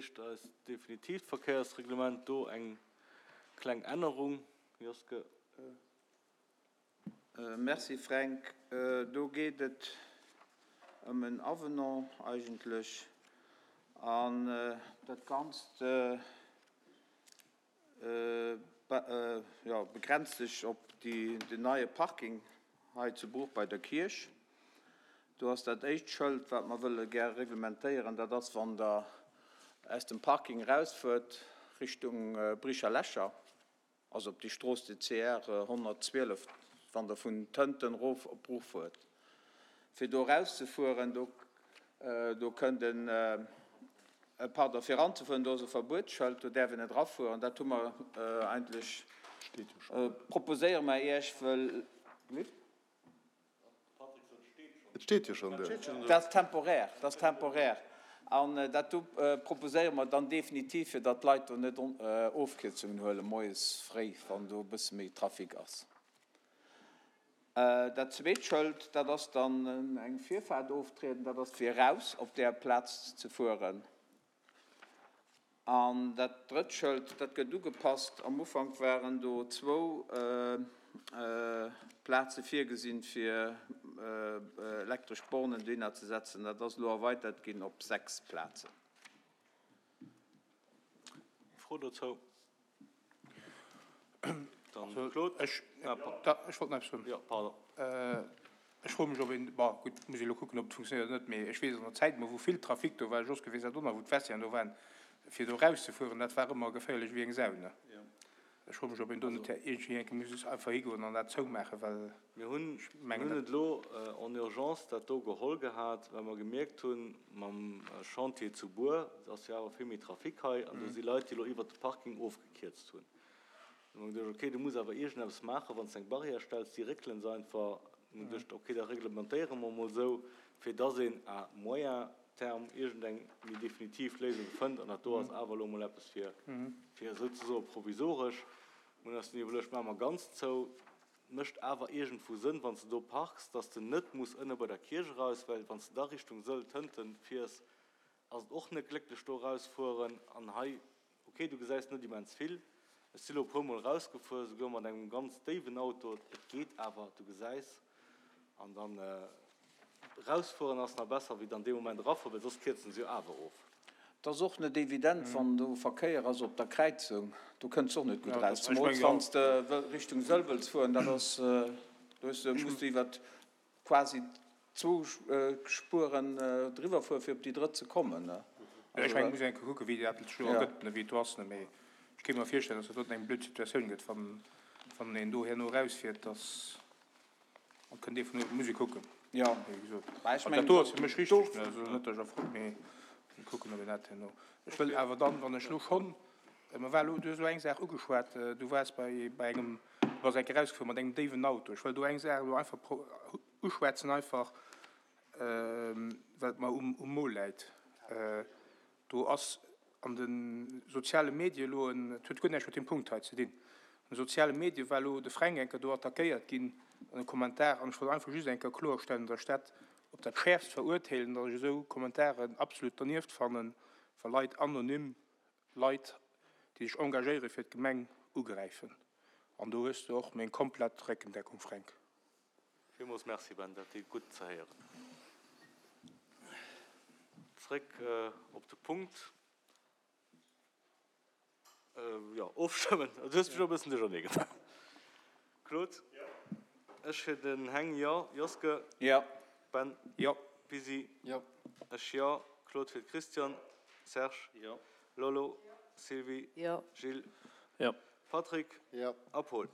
Eist definitiivt Verkéiersreglement, do eng kleng Ännerung, Joske. Merci Fränk. Do geet et ëm en Avenant eigentlech an dat Ganzt begrenzt sech op den neie Parking hei zu Bruch bei der Kierch. Do ass dat éischt Schëld, wat mer wëlle gär reglementéieren, dat ass, wann Der aus dem Parking erausfuert Richtung Bricher Lächer, also op déi Strooss, déi CR 112, wann Der vun Tënten erof op Bruch fuert, fir do erauszefueren, do do kënnt en, pardon, fir eranzefueren, do ass e Verbuetsschëld, do däerf een net erafueren. Dat hu mer eigentlech, proposéiere mer Iech, wëll. Et steet jo schonn do. Dat ass temporär, dat ass temporär. An dat do proposéiere mer dann definitiv, fir datt d'Leit do net Ofkierzungen huelen moies fréi, wann do e bësse méi Trafic ass. Dat zweet Schëld, dat ass dann eng Virfaart oftrieden, dat ass fir eraus op där Plaz ze fueren. An dat drëtt Schëld, dat gëtt ugepasst. Am Ufank waren do zwou Plaze virgesinn, fir elektresch Bornen dohinner ze setzen. Dat ass elo erweitert ginn op 6 Plazen. Fro dozou? Dann Claude. Ech, ech wollt nach eppes soen. Jo, pardon. Ech froe mech, ob een, bon, gutt, muss ee elo kucken, ob et funktionéiert oder net, mee ech weess an der Zäit emol, wou vill Trafic do war, Joske weess dat och nach, wou d'Vestiairen do waren, fir do erauszefueren, dat war ëmmer geféierlech wéi eng Sau, ne? Ech froe mech, ob een do net iergendwéi eng Kéier muss einfach higoen an dat zoumaachen, well Mir hunn, ech mir mengen, hunn dat. et elo en urgence dat do geholl gehat, well mer gemierkt hunn, mam Chantier zu Buer, et ass jo awer vill méi Trafic hei, an do si Leit, déi elo iwwert de Parking ofgekierzt hunn. Du hu mer geduecht, okay, du muss awer iergendeppes maachen, wann s de eng Barrière stells, déi réckelen se einfach. Hu mer geduecht, okay, da reglementéiere mer emol esou, fir dass een à moyen terme iergendeng méi definitiv Léisung fënnt. An dat do ass awer elo emol eppes fir, fir souzesoe provisoresch. Mir hunn eis dunn iwwerluecht, maache mer ganz zou. Mécht awer iergendwou Sënn, wann s de do parks, dass de net muss ënne bei der Kierch eraus, well wann s de da Richtung Sëll, Tënten fiers, ass et och net glécklech do erausfueren. An hei, ok, du gesäis net immens vill. Ech si lo e puer Mol erausgefuer, souguer mat engem ganz déiwen Auto. Et geet awer, du gesäis. An dann erausfueren ass nach besser wéi dann dee Moment erafueren, well soss kierzen se jo awer of. Et ass och net evident, wann do Verkéier ass op der Kräizung, do kënns de och net gutt eraus, zemools wann s de Richtung Sëll wëlls fueren, dat ass, do hues de, muss de iwwert quasi zwou Spueren driwwer fueren, fir op déi drëtt ze kommen. Ech mengen, et muss een eng Kéier kucken, wéi dat sech elo ergëtt, wéi et do ass, mee ech kéint mer virstellen, datt dat doten eng blöd Situatioun gëtt, wann een do herno erausfiert, datt. An kënnt ee vun uewen, muss ee kucken. Jo, wéi gesot. Mä ech mengen, dat do ass fir mech richteg, ne, also net, datt ech erfrot, mee mir kucken, ob een dat herno. Ech wëll awer dann, wann ech elo schonn, mer war elo, du hues elo eng Saach ugeschwat, du waars bei, bei engem, du bass eng Kéier erausgefuer mat engem déiwen Auto. Ech wëll do eng Saach elo einfach pro, uschwätzen einfach, well et mer um, um Mo läit. Do ass an de soziale Medie elo en, et huet guer näischt mat deem Punkt hei ze dinn, an de soziale Medie war elo de Fränk eng Kéier do attackéiert ginn an e Kommentar. An ech wollt einfach just eng Kéier kloerstellen, datt ech dat op dat Schäerfst verurteelen, datt ech esou Kommentaren absolut dernieft fannen, wa Leit anonym Leit, déi sech engagéiere fir d'Gemeng, ugräifen. An do hues de och meng komplett Réckendeckung, Fränk. Villmools Merci Ben, dat deet gutt ze héieren. Zréck op de Punkt. Jo, ofstëmmen. Du hues mech elo e bëssen duerchernee gemaach. Claude? Jo. Ech fir den Heng, jo. Joske? Jo. Ben? Jo. Pisi? Jo. Ech jo. Claude fir de Christian. Serge? Jo. Lolo? Jo. Sylvie? Jo. Gilles? Jo. Patrick? Jo. A Paul?